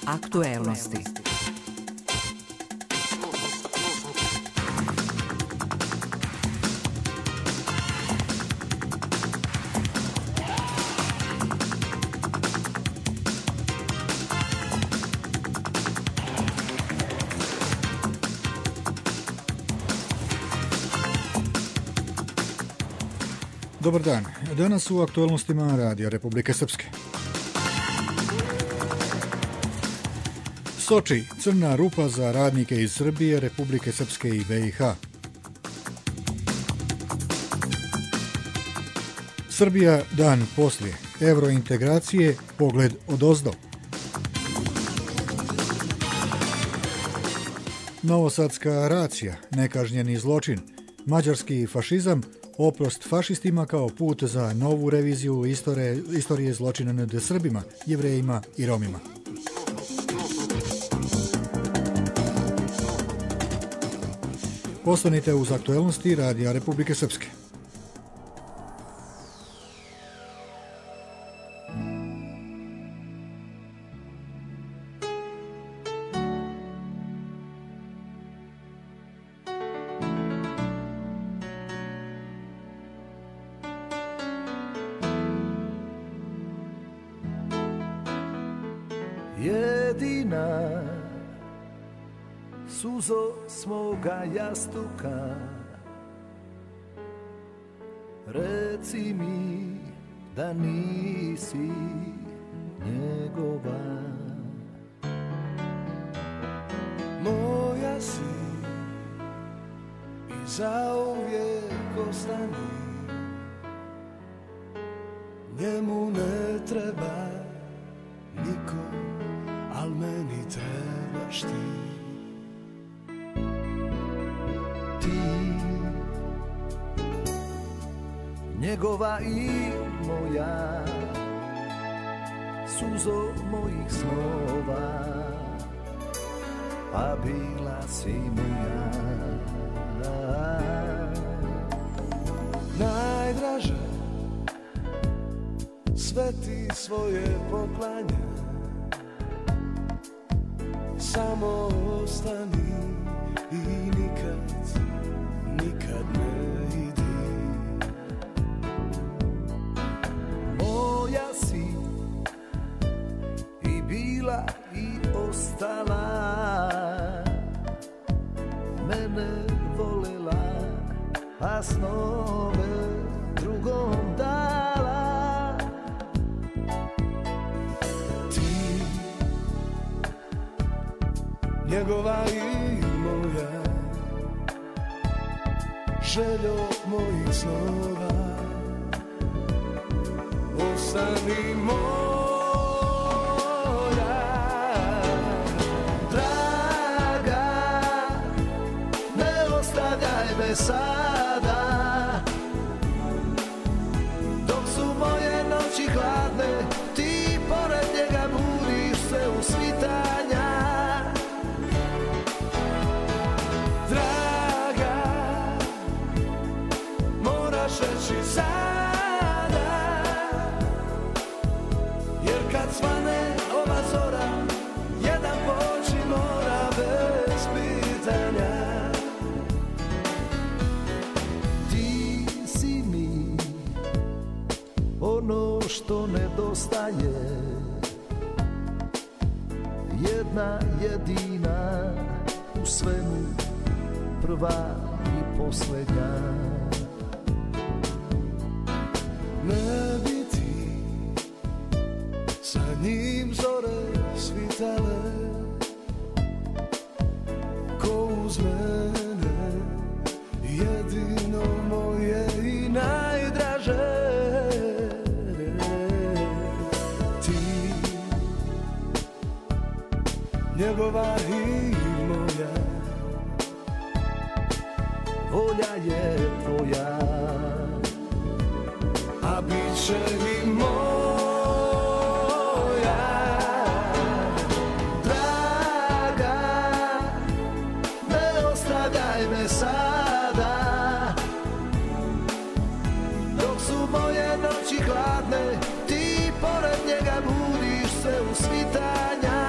Aktuelnosti. Dobar dan. Danas u aktualnostima Radija Republike Srpske. Soči, crna rupa za radnike iz Srbije, Republike Srpske i BiH. Srbija dan poslije. Evrointegracije, pogled odozdo. Novosadska racija, nekažnjeni zločin. Mađarski fašizam, oprost fašistima kao put za novu reviziju istorije zločina nad Srbima, Jevrejima i Romima. Ostanite uz aktuelnosti Radija Republike Srpske. Jedina suzo svoga jastuka, reci mi da nisi njegova. Moja si i zauvijek ostani, njemu ne treba niko, al meni trebaš ti. Ti, njegova i moja, suzo mojih snova, a bila si moja. Najdraže, sve ti svoje poklanja, samo ostani i nikad, nikad ne idi. Moja si i bila i ostala, mene volela, a snove drugom dala. Ti, njegova i moja, željo mojih snova, ostani moja. Draga, ne ostavljaj me sada, dok su moje noći hladne, ti pored njega budiš se u svitanja. Reći sada, jer kad svane ova zora, jedan poći mora bez pitanja. Ti si mi ono što nedostaje, jedna jedina u svemu, prva i posljednja. Ne bi ti sa njim zore svitale, ko uz mene, jedino moje i najdraže. Ti, njegova i moja, volja je tvoja, a bit će i moja. Draga, ne ostavljaj me sada, dok su moje noći hladne, ti pored njega budiš se u svitanja.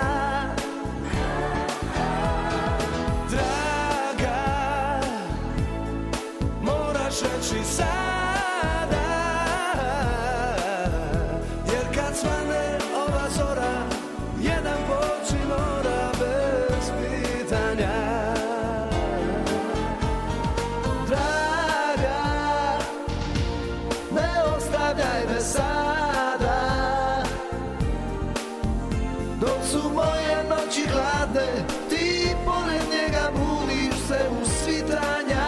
sada. Dok su moje noći hladne, ti pored njega budiš se u svitanja.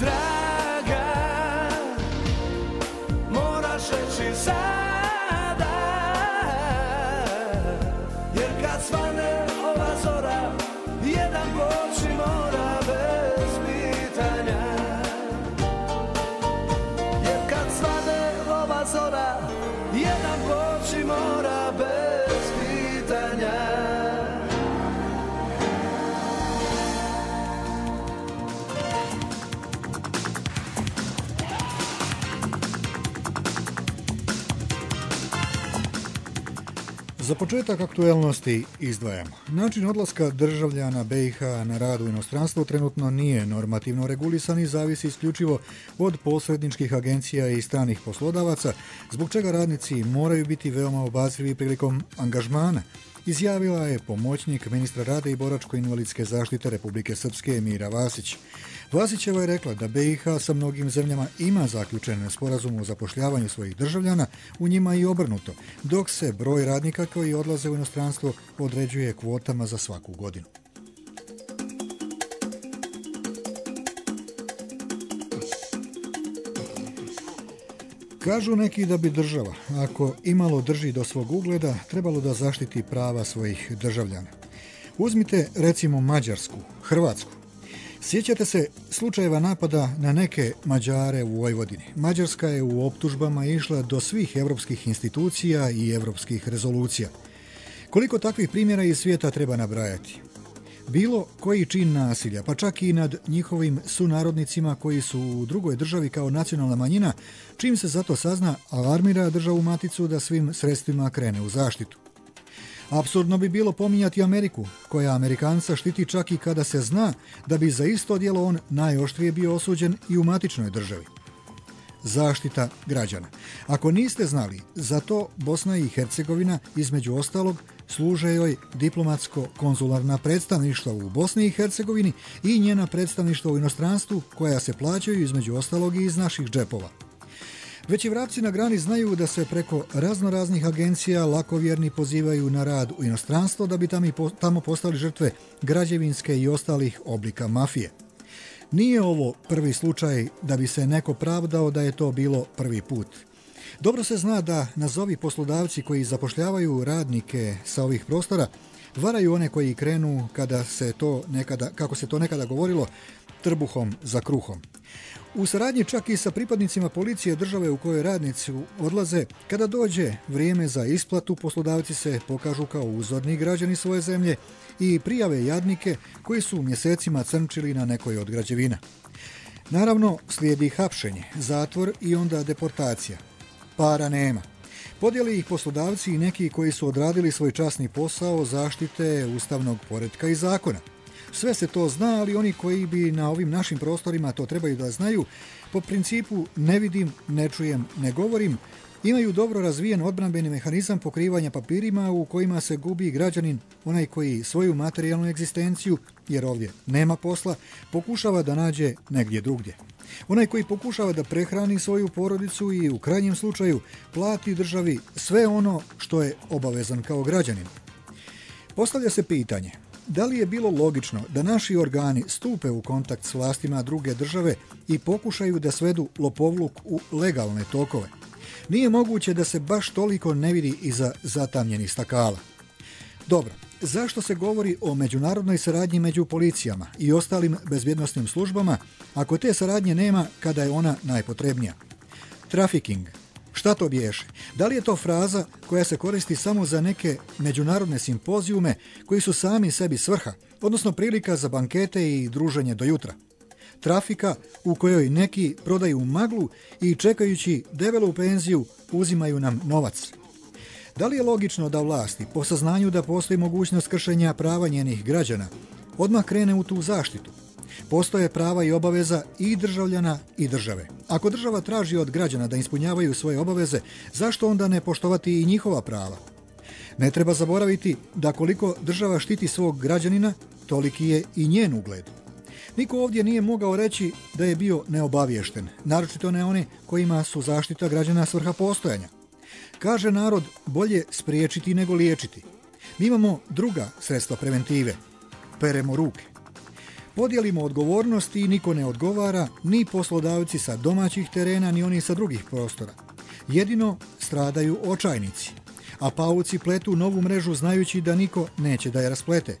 Draga, moraš reći sada, jer kad svane ova zora, jedan poči mora bez pitanja. Jer kad svane ova zora, jedan poči mora bez pitanja. Za početak aktuelnosti izdvajamo. Način odlaska državljana BiH na rad u inostranstvo trenutno nije normativno regulisan i zavisi isključivo od posredničkih agencija i stranih poslodavaca, zbog čega radnici moraju biti veoma obazrivi prilikom angažmana, izjavila je pomoćnik ministra rada i boračko-invalidske zaštite Republike Srpske Mira Vasić. Vasićeva je rekla da BiH sa mnogim zemljama ima zaključen sporazum o zapošljavanju svojih državljana, u njima i obrnuto, dok se broj radnika koji odlaze u inostranstvo određuje kvotama za svaku godinu. Kažu neki da bi država, ako imalo drži do svog ugleda, trebalo da zaštiti prava svojih državljana. Uzmite recimo Mađarsku, Hrvatsku. Sjećate se slučajeva napada na neke Mađare u Vojvodini. Mađarska je u optužbama išla do svih evropskih institucija i evropskih rezolucija. Koliko takvih primjera iz svijeta treba nabrajati? Bilo koji čin nasilja, pa čak i nad njihovim sunarodnicima koji su u drugoj državi kao nacionalna manjina, čim se zato sazna, alarmira državu maticu da svim sredstvima krene u zaštitu. Apsurdno bi bilo pominjati Ameriku, koja Amerikanca štiti čak i kada se zna da bi za isto djelo on najoštrije bio osuđen i u matičnoj državi. Zaštita građana. Ako niste znali, za to Bosna i Hercegovina, između ostalog, služe joj diplomatsko-konzularna predstavništva u Bosni i Hercegovini i njena predstavništva u inostranstvu, koja se plaćaju između ostalog i iz naših džepova. Već i vrapci na grani znaju da se preko raznoraznih agencija lakovjerni pozivaju na rad u inostranstvo da bi tamo postali žrtve građevinske i ostalih oblika mafije. Nije ovo prvi slučaj da bi se neko pravdao da je to bilo prvi put. Dobro se zna da nazovi poslodavci koji zapošljavaju radnike sa ovih prostora varaju one koji krenu kako se to nekada govorilo, trbuhom za kruhom. U saradnji čak i sa pripadnicima policije države u kojoj radnici odlaze, kada dođe vrijeme za isplatu, poslodavci se pokažu kao uzorni građani svoje zemlje i prijave jadnike koji su mjesecima crnčili na nekoj od građevina. Naravno, slijedi hapšenje, zatvor i onda deportacija. Para nema. Podijeli ih poslodavci i neki koji su odradili svoj časni posao zaštite ustavnog poretka i zakona. Sve se to zna, ali oni koji bi na ovim našim prostorima to trebaju da znaju, po principu ne vidim, ne čujem, ne govorim, imaju dobro razvijen odbranbeni mehanizam pokrivanja papirima u kojima se gubi građanin, onaj koji svoju materijalnu egzistenciju, jer ovdje nema posla, pokušava da nađe negdje drugdje. Onaj koji pokušava da prehrani svoju porodicu i u krajnjem slučaju plati državi sve ono što je obavezan kao građanin. Postavlja se pitanje, da li je bilo logično da naši organi stupe u kontakt s vlastima druge države i pokušaju da svedu lopovluk u legalne tokove? Nije moguće da se baš toliko ne vidi iza zatamnjenih stakala. Dobro, zašto se govori o međunarodnoj saradnji među policijama i ostalim bezbjednosnim službama ako te saradnje nema kada je ona najpotrebnija? Trafficking. Šta to biješe? Da li je to fraza koja se koristi samo za neke međunarodne simpozijume koji su sami sebi svrha, odnosno prilika za bankete i druženje do jutra? Trafika u kojoj neki prodaju maglu i čekajući debelu penziju uzimaju nam novac. Da li je logično da vlasti, po saznanju da postoji mogućnost kršenja prava njenih građana, odmah krene u tu zaštitu? Postoje prava i obaveza i državljana i države. Ako država traži od građana da ispunjavaju svoje obaveze, zašto onda ne poštovati i njihova prava? Ne treba zaboraviti da koliko država štiti svog građanina, toliki je i njen ugled. Niko ovdje nije mogao reći da je bio neobaviješten, naročito ne oni kojima su zaštita građana svrha postojanja. Kaže narod, bolje spriječiti nego liječiti. Mi imamo druga sredstva preventive. Peremo ruke. Podijelimo odgovornosti i niko ne odgovara, ni poslodavci sa domaćih terena, ni oni sa drugih prostora. Jedino stradaju očajnici, a pauci pletu novu mrežu znajući da niko neće da je rasplete.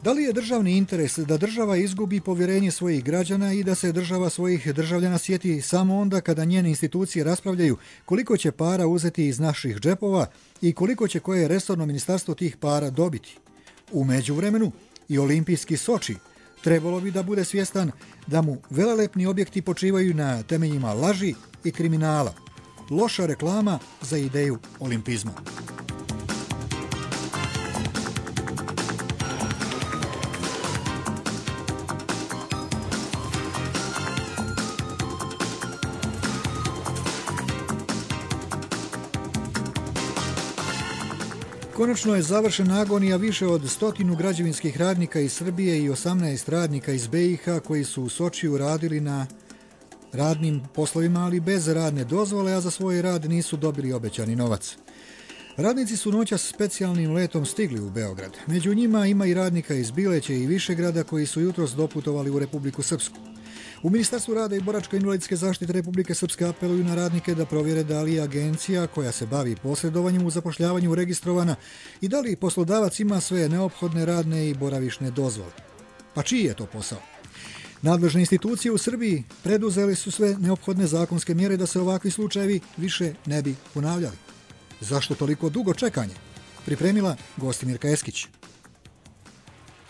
Da li je državni interes da država izgubi povjerenje svojih građana i da se država svojih državljana sjeti samo onda kada njene institucije raspravljaju koliko će para uzeti iz naših džepova i koliko će koje resorno ministarstvo tih para dobiti? U međuvremenu i olimpijski Soči trebalo bi da bude svjestan da mu velelepni objekti počivaju na temeljima laži i kriminala. Loša reklama za ideju olimpizma. Konačno je završena agonija više od 100 građevinskih radnika iz Srbije i 18 radnika iz BiH koji su u Sočiju radili na radnim poslovima, ali bez radne dozvole, a za svoj rad nisu dobili obećani novac. Radnici su noćas specijalnim letom stigli u Beograd. Među njima ima i radnika iz Bileće i Višegrada koji su jutros doputovali u Republiku Srpsku. U Ministarstvu rada i boračko-invalidske zaštite Republike Srpske apeluju na radnike da provjere da li je agencija koja se bavi posredovanjem u zapošljavanju registrovana i da li poslodavac ima sve neophodne radne i boravišne dozvole. Pa čiji je to posao? Nadležne institucije u Srbiji preduzeli su sve neophodne zakonske mjere da se ovakvi slučajevi više ne bi ponavljali. Zašto toliko dugo čekanje? Pripremila Gostimirka Eskić.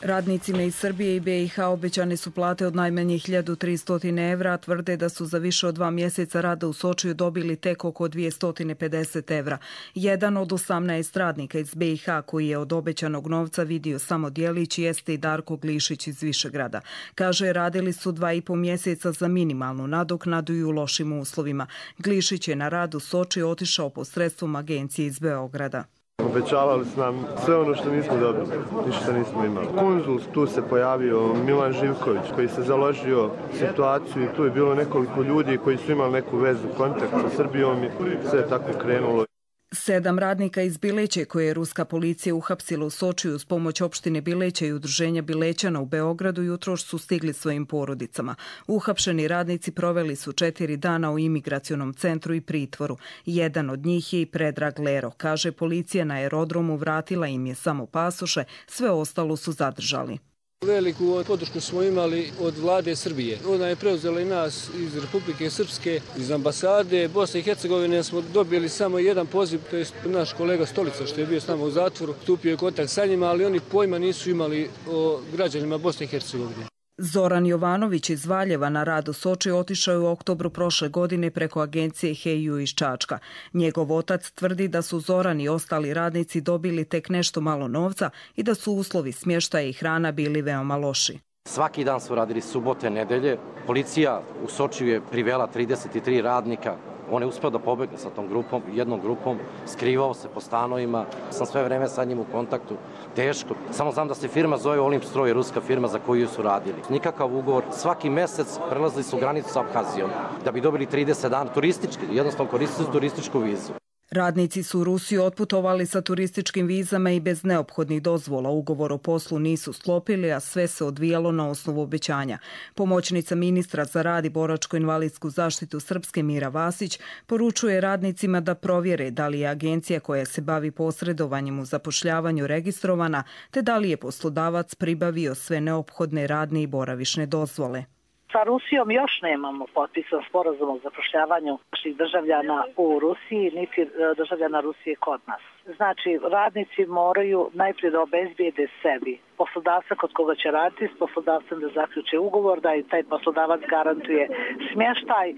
Radnicima iz Srbije i BiH obećane su plate od najmanje 1300 evra, a tvrde da su za više od 2 mjeseca rada u Sočiju dobili tek oko 250 evra. Jedan od 18 radnika iz BiH koji je od obećanog novca vidio samo djelić jeste i Darko Glišić iz Višegrada. Kaže, radili su 2,5 mjeseca za minimalnu nadoknadu i u lošim uslovima. Glišić je na rad u Sočiju otišao posredstvom agencije iz Beograda. Obećavali su nam sve ono što nismo dobili, ništa nismo imali. Konzul, tu se pojavio Milan Živković koji se založio situaciju i tu je bilo nekoliko ljudi koji su imali neku vezu, kontakt sa Srbijom i sve je tako krenulo. 7 radnika iz Bileće koje je ruska policija uhapsila u Sočiju uz pomoć opštine Bileće i udruženja Bilećana u Beogradu jutros su stigli svojim porodicama. Uhapšeni radnici proveli su 4 dana u imigracionom centru i pritvoru. Jedan od njih je i Predrag Lero. Kaže, policija na aerodromu vratila im je samo pasoše, sve ostalo su zadržali. Veliku podršku smo imali od vlade Srbije. Ona je preuzela i nas iz Republike Srpske, iz ambasade Bosne i Hercegovine. Smo dobili samo jedan poziv, to je naš kolega Stolica što je bio s nama u zatvoru. Stupio je kontakt sa njima, ali oni pojma nisu imali o građanima Bosne i Hercegovine. Zoran Jovanović iz Valjeva na rad u Soči otišao je u oktobru prošle godine preko agencije Heju iz Čačka. Njegov otac tvrdi da su Zoran i ostali radnici dobili tek nešto malo novca i da su uslovi smještaja i hrana bili veoma loši. Svaki dan su radili subote, nedelje. Policija u Sočiju je privela 33 radnika. On je uspeo da pobegne sa tom grupom, jednom grupom, skrivao se po stanovima, sam sve vreme sa njim u kontaktu, teško. Samo znam da se firma zove Olimpstroj, ruska firma za koju su radili. Nikakav ugovor, svaki mesec prelazili su granicu sa Abhazijom da bi dobili 30 dana turistički, jednostavno koristili su turističku vizu. Radnici su u Rusiju otputovali sa turističkim vizama i bez neophodnih dozvola. Ugovor o poslu nisu sklopili, a sve se odvijalo na osnovu obećanja. Pomoćnica ministra za rad i boračko-invalidsku zaštitu Srpske Mira Vasić poručuje radnicima da provjere da li je agencija koja se bavi posredovanjem u zapošljavanju registrovana, te da li je poslodavac pribavio sve neophodne radne i boravišne dozvole. Sa Rusijom još nemamo potpisan sporazum o zapošljavanju naših državljana u Rusiji, niti državljana Rusije kod nas. Znači, radnici moraju najprije da obezbijede sebi poslodavca kod koga će raditi, s poslodavcem da zaključe ugovor, da i taj poslodavac garantuje smještaj,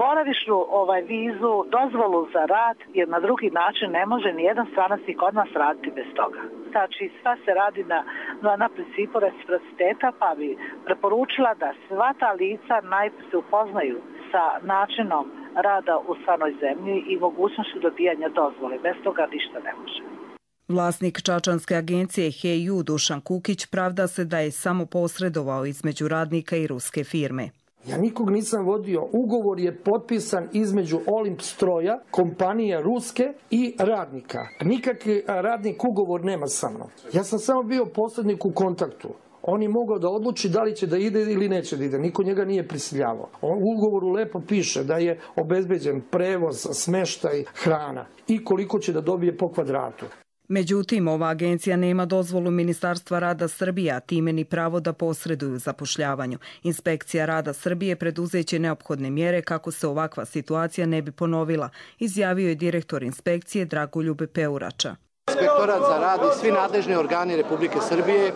boravišnu vizu, dozvolu za rad, jer na drugi način ne može ni jedan stranac i kod nas raditi bez toga. Znači, sva se radi na principu reciprociteta, pa bi preporučila da sva ta lica najprije se upoznaju sa načinom rada u stranoj zemlji i mogućnošću dobijanja dozvole. Bez toga ništa ne može. Vlasnik čačanske agencije HEU Dušan Kukić pravda se da je samo posredovao između radnika i ruske firme. Ja nikog nisam vodio. Ugovor je potpisan između Olimpstroja, kompanije ruske i radnika. Nikakvi radnik ugovor nema sa mnom. Ja sam samo bio posrednik u kontaktu. On je mogao da odluči da li će da ide ili neće da ide. Niko njega nije prisiljavao. U ugovoru lepo piše da je obezbeđen prevoz, smeštaj, hrana i koliko će da dobije po kvadratu. Međutim, ova agencija nema dozvolu Ministarstva rada Srbije, a time ni pravo da posreduju u zapošljavanju. Inspekcija rada Srbije preduzeće neophodne mjere kako se ovakva situacija ne bi ponovila, izjavio je direktor inspekcije Dragoljub Peurača. Inspektorat za rad i svi nadležni organi Republike Srbije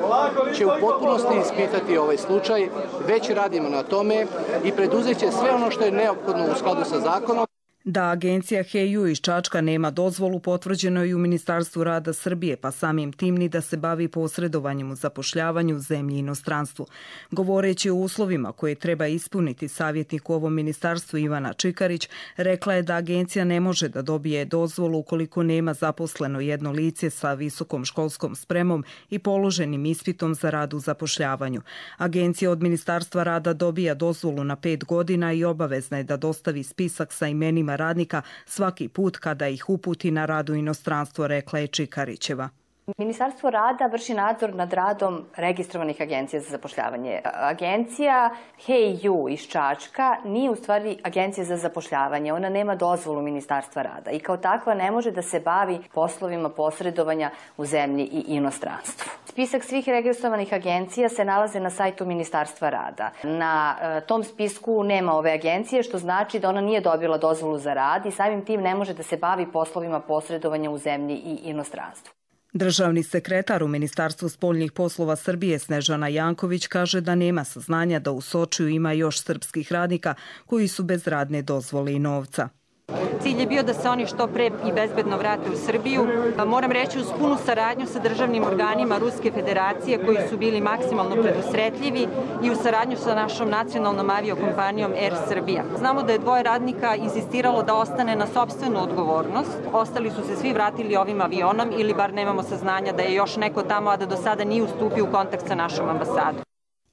će u potpunosti ispitati ovaj slučaj. Već radimo na tome i preduzeće sve ono što je neophodno u skladu sa zakonom. Da agencija HEU iz Čačka nema dozvolu potvrđeno i u Ministarstvu rada Srbije, pa samim tim ni da se bavi posredovanjem u zapošljavanju u zemlji i inostranstvu. Govoreći o uslovima koje treba ispuniti savjetnik u ovom ministarstvu Ivana Čikarić, rekla je da agencija ne može da dobije dozvolu ukoliko nema zaposleno jedno lice sa visokom školskom spremom i položenim ispitom za rad u zapošljavanju. Agencija od Ministarstva rada dobija dozvolu na 5 godina i obavezna je da dostavi spisak sa imenima radnika svaki put kada ih uputi na rad u inostranstvo, rekla je Čikarićeva. Ministarstvo rada vrši nadzor nad radom registrovanih agencija za zapošljavanje. Agencija HEU iz Čačka nije u stvari agencija za zapošljavanje. Ona nema dozvolu Ministarstva rada i kao takva ne može da se bavi poslovima posredovanja u zemlji i inostranstvu. Spisak svih registrovanih agencija se nalaze na sajtu Ministarstva rada. Na tom spisku nema ove agencije, što znači da ona nije dobila dozvolu za rad i samim tim ne može da se bavi poslovima posredovanja u zemlji i inostranstvu. Državni sekretar u Ministarstvu spoljnih poslova Srbije Snežana Janković kaže da nema saznanja da u Sočiju ima još srpskih radnika koji su bez radne dozvole i novca. Cilj je bio da se oni što pre i bezbedno vrate u Srbiju. Moram reći uz punu saradnju sa državnim organima Ruske federacije koji su bili maksimalno predusretljivi i u saradnju sa našom nacionalnom aviokompanijom Air Srbija. Znamo da je 2 radnika insistiralo da ostane na sopstvenu odgovornost. Ostali su se svi vratili ovim avionom ili bar nemamo saznanja da je još neko tamo, a da do sada nije ustupio u kontakt sa našom ambasadom.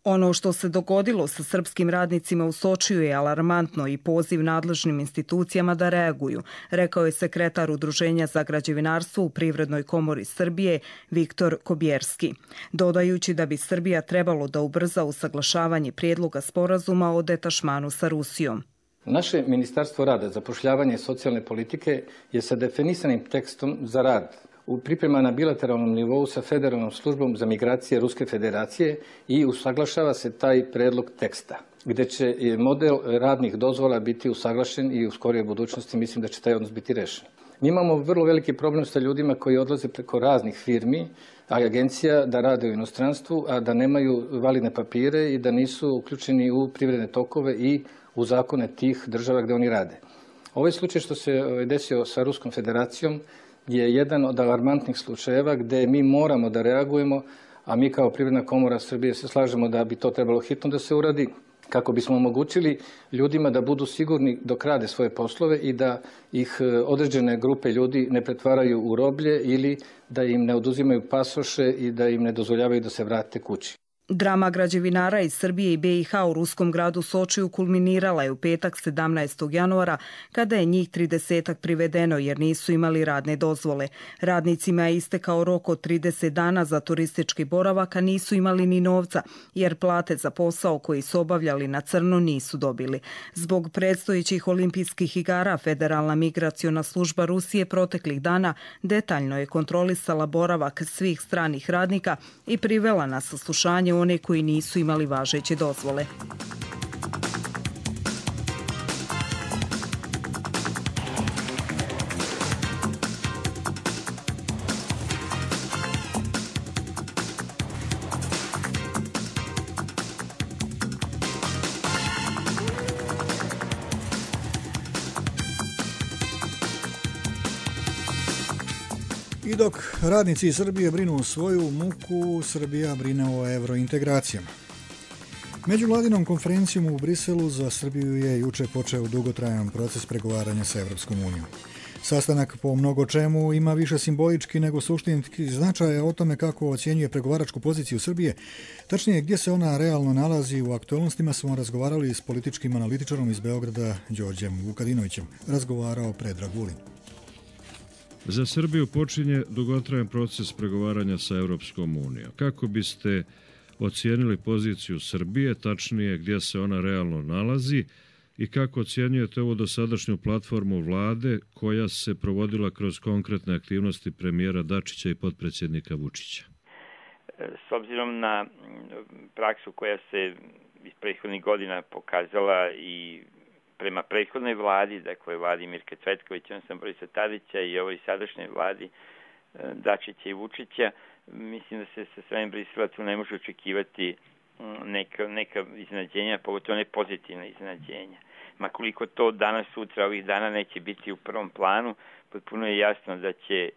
Ono što se dogodilo sa srpskim radnicima u Sočiju je alarmantno i poziv nadležnim institucijama da reaguju, rekao je sekretar Udruženja za građevinarstvo u Privrednoj komori Srbije Viktor Kobjerski, dodajući da bi Srbija trebalo da ubrza usaglašavanje prijedloga sporazuma o detašmanu sa Rusijom. Naše Ministarstvo rada, zapošljavanja i socijalne politike je sa definisanim tekstom za rad priprema na bilateralnom nivou sa Federalnom službom za migracije Ruske federacije i usaglašava se taj predlog teksta, gde će model radnih dozvola biti usaglašen i u skorijoj budućnosti mislim da će taj odnos biti rešen. Mi imamo vrlo veliki problem sa ljudima koji odlaze preko raznih firmi, a agencija da rade u inostranstvu, a da nemaju validne papire i da nisu uključeni u privredne tokove i u zakone tih država gde oni rade. Ovaj slučaj što se desio sa Ruskom federacijom je jedan od alarmantnih slučajeva gde mi moramo da reagujemo, a mi kao Privredna komora Srbije se slažemo da bi to trebalo hitno da se uradi, kako bismo omogućili ljudima da budu sigurni dok rade svoje poslove i da ih određene grupe ljudi ne pretvaraju u roblje ili da im ne oduzimaju pasoše i da im ne dozvoljavaju da se vrate kući. Drama građevinara iz Srbije i BiH u ruskom gradu Sočiju kulminirala je u petak 17. januara kada je njih 30 privedeno jer nisu imali radne dozvole. Radnicima je istekao rok od 30 dana za turistički boravak, a nisu imali ni novca jer plate za posao koji su obavljali na crno nisu dobili. Zbog predstojećih olimpijskih igara Federalna migraciona služba Rusije proteklih dana detaljno je kontrolisala boravak svih stranih radnika i privela na saslušanje one koji nisu imali važeće dozvole. I dok radnici iz Srbije brinu svoju muku, Srbija brine o evrointegracijama. Međuvladinom konferencijom u Briselu za Srbiju je juče počeo dugotrajan proces pregovaranja sa Evropskom unijom. Sastanak po mnogo čemu ima više simbolički nego suštinski značaj o tome kako ocjenjuje pregovaračku poziciju Srbije. Tačnije, gdje se ona realno nalazi u aktualnostima smo razgovarali s političkim analitičarom iz Beograda Đorđem Vukadinovićem. Razgovarao Predrag Vulin. Za Srbiju počinje dugotrajan proces pregovaranja sa Evropskom unijom. Kako biste ocijenili poziciju Srbije, tačnije gdje se ona realno nalazi i kako ocjenjujete ovu dosadašnju platformu vlade koja se provodila kroz konkretne aktivnosti premijera Dačića i potpredsjednika Vučića? S obzirom na praksu koja se iz prethodnih godina pokazala i prema prethodnoj vladi, dakle vladi Mirka Cvetkovića, odnosno Borisa Tadića i ovoj sadašnjoj vladi Dačića i Vučića, mislim da se sa svojim Brisela tu ne može očekivati neka iznenađenja, pogotovo ne pozitivna iznenađenja. Makoliko to danas, sutra, ovih dana neće biti u prvom planu, potpuno je jasno da će,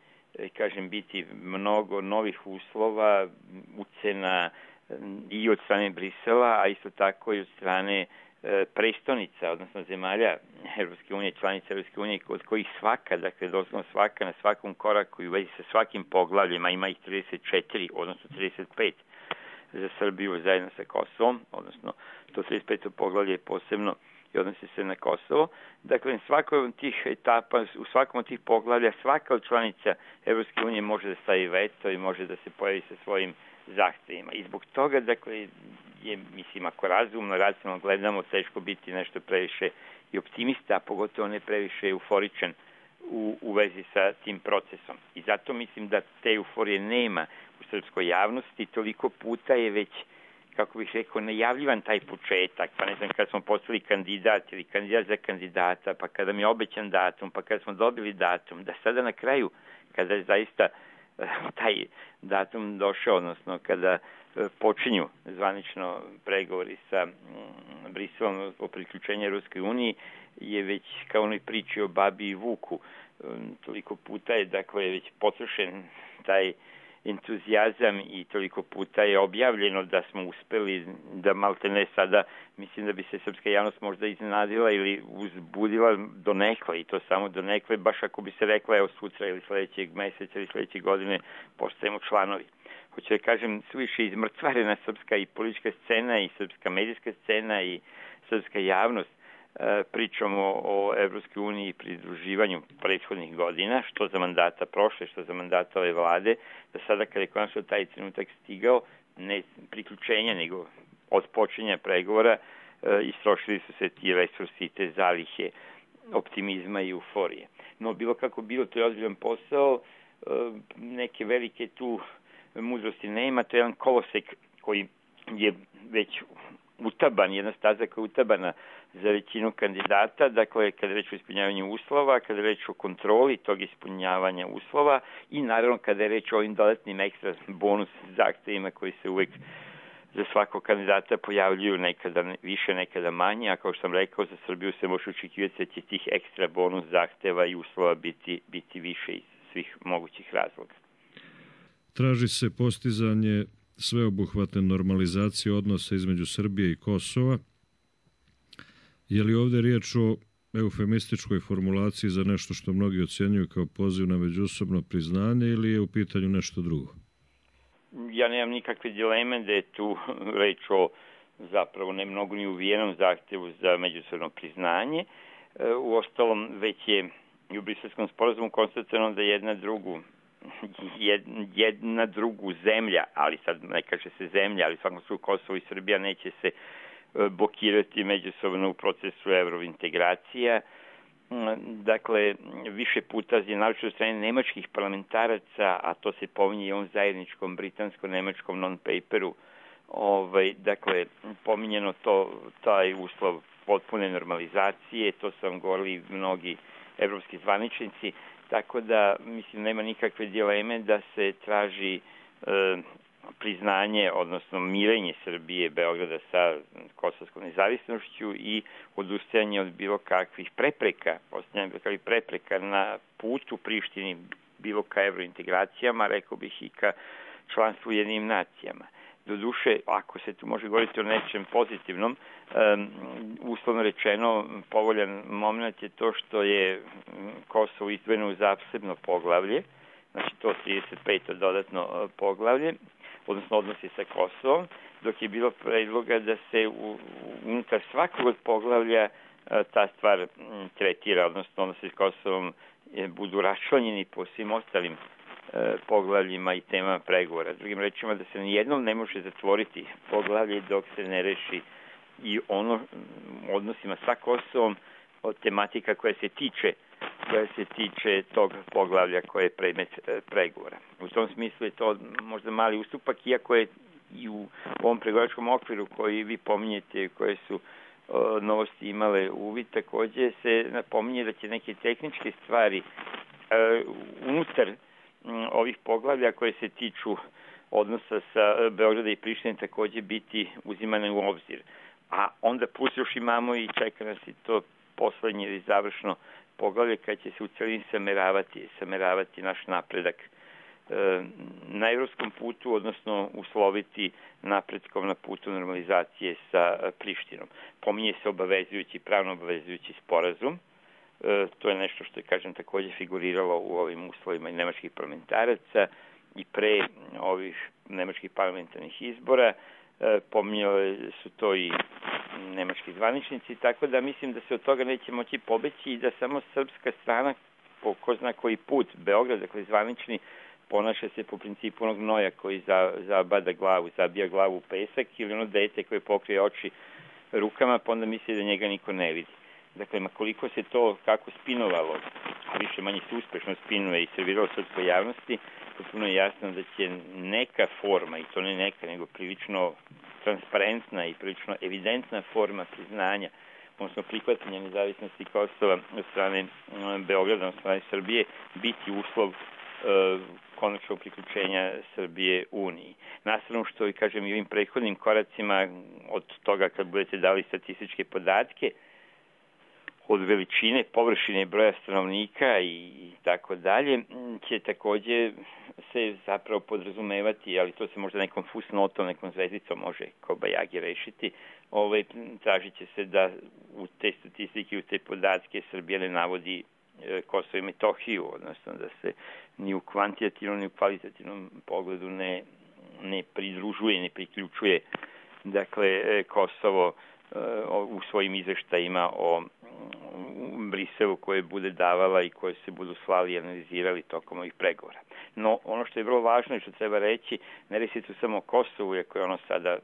kažem, biti mnogo novih uslova, ucena i od strane Brisela, a isto tako i od strane prestonica, odnosno zemalja Evropske unije, članica Evropske unije, od kojih svaka, dakle doslovno svaka na svakom koraku i u vezi sa svakim poglavljima, ima ih 34, odnosno 35 za Srbiju zajedno sa Kosovom, odnosno to 35. poglavlje posebno i odnosi se na Kosovo. Dakle, svakoj od tih etapa, u svakom od tih poglavlja, svaka od članica Evropske unije može da stavi veto i može da se pojavi sa svojim zahtevima. I zbog toga, dakle, je, mislim, ako razumno, racionalno gledamo, teško biti nešto previše i optimista, a pogotovo ne previše euforičan u vezi sa tim procesom. I zato mislim da te euforije nema u srpskoj javnosti. Toliko puta je već, kako bih rekao, najavljivan taj početak, pa ne znam, kad smo postali kandidat ili kandidat za kandidata, pa kada mi je obećan datum, pa kada smo dobili datum, da sada na kraju, kada je zaista taj datum došao, odnosno kada počinju zvanično pregovori sa Briselom o priključenju Ruskoj uniji, je već kao onoj priči o babi i vuku. Toliko puta je, dakle, već potrošen taj entuzijazam i toliko puta je objavljeno da smo uspeli da maltene sada, mislim da bi se srpska javnost možda iznenadila ili uzbudila donekle, i to samo donekle, baš ako bi se rekla, evo sutra ili sledećeg meseca ili sledeće godine postajemo članovi. Hoću da kažem, suviše izmrtvarena srpska i politička scena i srpska medijska scena i srpska javnost pričamo o Evropskoj uniji i pridruživanju prethodnih godina, što za mandata prošle, što za mandata ove vlade, da sada kada je konačno taj trenutak stigao, ne priključenja, nego od počinja pregovora, istrošili su se ti resursi i te zalihe optimizma i euforije. No, bilo kako bilo, to je ozbiljan posao, neke velike tu mudrosti nema, to je jedan kolosek koji je već utaban, jedna staza koja je utabana za većinu kandidata, dakle, kada je reč o ispunjavanju uslova, kada je reč o kontroli tog ispunjavanja uslova i naravno kada je reč o ovim dodatnim ekstra bonus zahtevima koji se uvek za svakog kandidata pojavljuju, nekada više, nekada manje, a kao što sam rekao, za Srbiju se može očekivati da će tih ekstra bonus zahteva i uslova biti više iz svih mogućih razloga. Traži se postizanje sveobuhvatne normalizacije odnosa između Srbije i Kosova. Je li ovdje riječ o eufemističkoj formulaciji za nešto što mnogi ocjenjuju kao poziv na međusobno priznanje ili je u pitanju nešto drugo? Ja nemam nikakve dileme da je tu reč o zapravo ne mnogo ni uvijenom zahtevu za međusobno priznanje. Uostalom, već je i u Briselskom sporazumu konstatovano da jedna drugu zemlja, ali sad ne kaže se zemlja, ali svakom slučaju Kosovo i Srbija neće se blokirati međusobno u procesu evrointegracija. Dakle, više puta je naročito od strane nemačkih parlamentaraca, a to se pominje i ovom zajedničkom britansko-nemačkom non-paperu, dakle, pominjeno taj uslov potpune normalizacije, to su vam govorili mnogi evropski zvaničnici, tako da, mislim, nema nikakve dileme da se traži priznanje, odnosno mirenje Srbije, Beograda sa kosovskom nezavisnošću i odustajanje od bilo kakvih prepreka na putu Prištini bilo ka evrointegracijama, rekao bih i ka članstvu u Ujedinjenim nacijama. Doduše, ako se tu može govoriti o nečem pozitivnom, uslovno rečeno, povoljan moment je to što je Kosovo izdvojeno u zasebno poglavlje, znači to 35. dodatno poglavlje, odnosno odnosi sa Kosovom, dok je bilo predloga da se unutar svakog od poglavlja ta stvar tretira, odnosno odnosi s Kosovom budu raščlanjeni po svim ostalim poglavljima i temama pregovora. Drugim rečima, da se nijednom ne može zatvoriti poglavlje dok se ne reši i ono odnosima sa Kosovom od tematika koja se tiče tog poglavlja koje je predmet pregovora. U tom smislu je to možda mali ustupak, iako je i u ovom pregovaračkom okviru koji vi pominjete, koje su novosti imale uvid, takođe se napominje da će neke tehničke stvari unutar ovih poglavlja koje se tiču odnosa sa Beograda i Prištine takođe biti uzimane u obzir. A onda plus još imamo i čeka nas i to poslednje ili završno poglavlje kad će se u celini sameravati naš napredak na evropskom putu, odnosno usloviti napretkom na putu normalizacije sa Prištinom. Pominje se pravno obavezujući sporazum. To je nešto što je, kažem, takođe figuriralo u ovim uslovima i nemačkih parlamentaraca i pre ovih nemačkih parlamentarnih izbora. Pominjali su to i nemački zvaničnici, tako da mislim da se od toga neće moći pobeći i da samo srpska strana, po ko zna koji put, Beograd, dakle zvanični, ponaša se po principu onog noja koji zabija glavu u pesak, ili ono dete koje pokrije oči rukama, pa onda misli da njega niko ne vidi. Dakle, koliko se to kako spinovalo, a više manje se uspešno spinuje i serviralo srpskoj javnosti, potpuno je jasno da će neka forma, i to ne neka, nego prilično transparentna i prilično evidentna forma priznanja, odnosno prihvatanja nezavisnosti Kosova od strane Beograda, od strane Srbije, biti uslov konačnog priključenja Srbije Uniji. Nastavno što, kažem, i ovim prethodnim koracima od toga kad budete dali statističke podatke, od veličine, površine, broja stanovnika i tako dalje, će takođe se zapravo podrazumevati, ali to se možda nekom fusnotom, nekom zvezdicom može kobajagi rešiti, tražit će se da u te statistike, u te podatke Srbija ne navodi Kosovo i Metohiju, odnosno da se ni u kvantitativnom ni u kvalitativnom pogledu ne pridružuje, ne priključuje, dakle, Kosovo u svojim izveštajima o Briselu koje bude davala i koje se budu slali i analizirali tokom ovih pregovora. No, ono što je vrlo važno i što treba reći, ne reći tu samo o Kosovu, iako je ono sada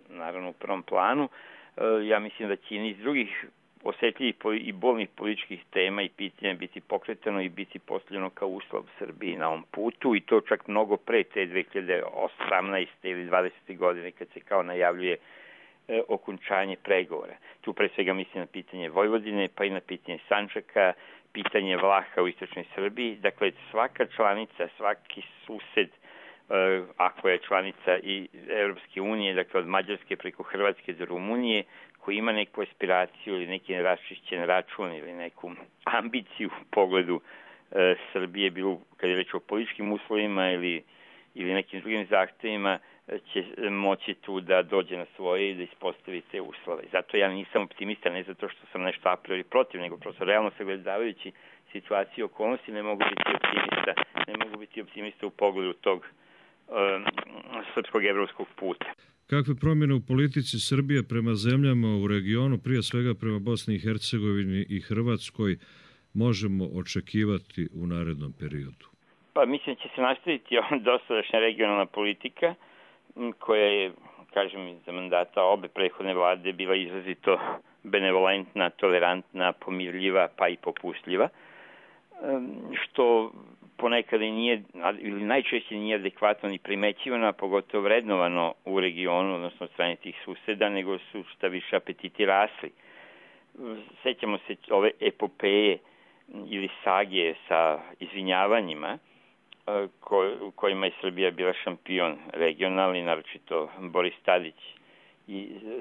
naravno u prvom planu, ja mislim da će i niz drugih osetljivih i bolnih političkih tema i pitanja biti pokretano i biti postavljeno kao uslov Srbiji na ovom putu, i to čak mnogo pre te 2018. ili 20. godine kad se kao najavljuje okončanje pregovora. Tu pre svega mislim na pitanje Vojvodine, pa i na pitanje Sandžaka, pitanje Vlaha u istočnoj Srbiji. Dakle, svaka članica, svaki sused, ako je članica i Evropske unije, dakle od Mađarske preko Hrvatske do Rumunije, koji ima neku aspiraciju ili neki neraščišćen račun ili neku ambiciju u pogledu Srbije, bilo kad je reč o političkim uslovima ili nekim drugim zahtevima, će moći tu da dođe na svoje i da ispostavi te uslove. Zato ja nisam optimista, ne zato što sam nešto a priori protiv, nego prosto realno sagledavajući situaciju i okolnosti ne mogu biti optimista u pogledu tog srpskog evropskog puta. Kakve promjene u politici Srbije prema zemljama u regionu, prije svega prema Bosni i Hercegovini i Hrvatskoj, možemo očekivati u narednom periodu? Pa mislim da će se nastaviti dosadašnja regionalna politika koja je, kažem, za mandata obe prethodne vlade bila izrazito benevolentna, tolerantna, pomirljiva, pa i popustljiva, što ponekada nije, ili najčešće nije adekvatno ni primećivano, a pogotovo vrednovano u regionu, odnosno od strane tih suseda, nego su šta više apetiti rasli. Sećamo se ove epopeje ili sage sa izvinjavanjima, u kojima je Srbija bila šampion regionalni, naročito Boris Tadić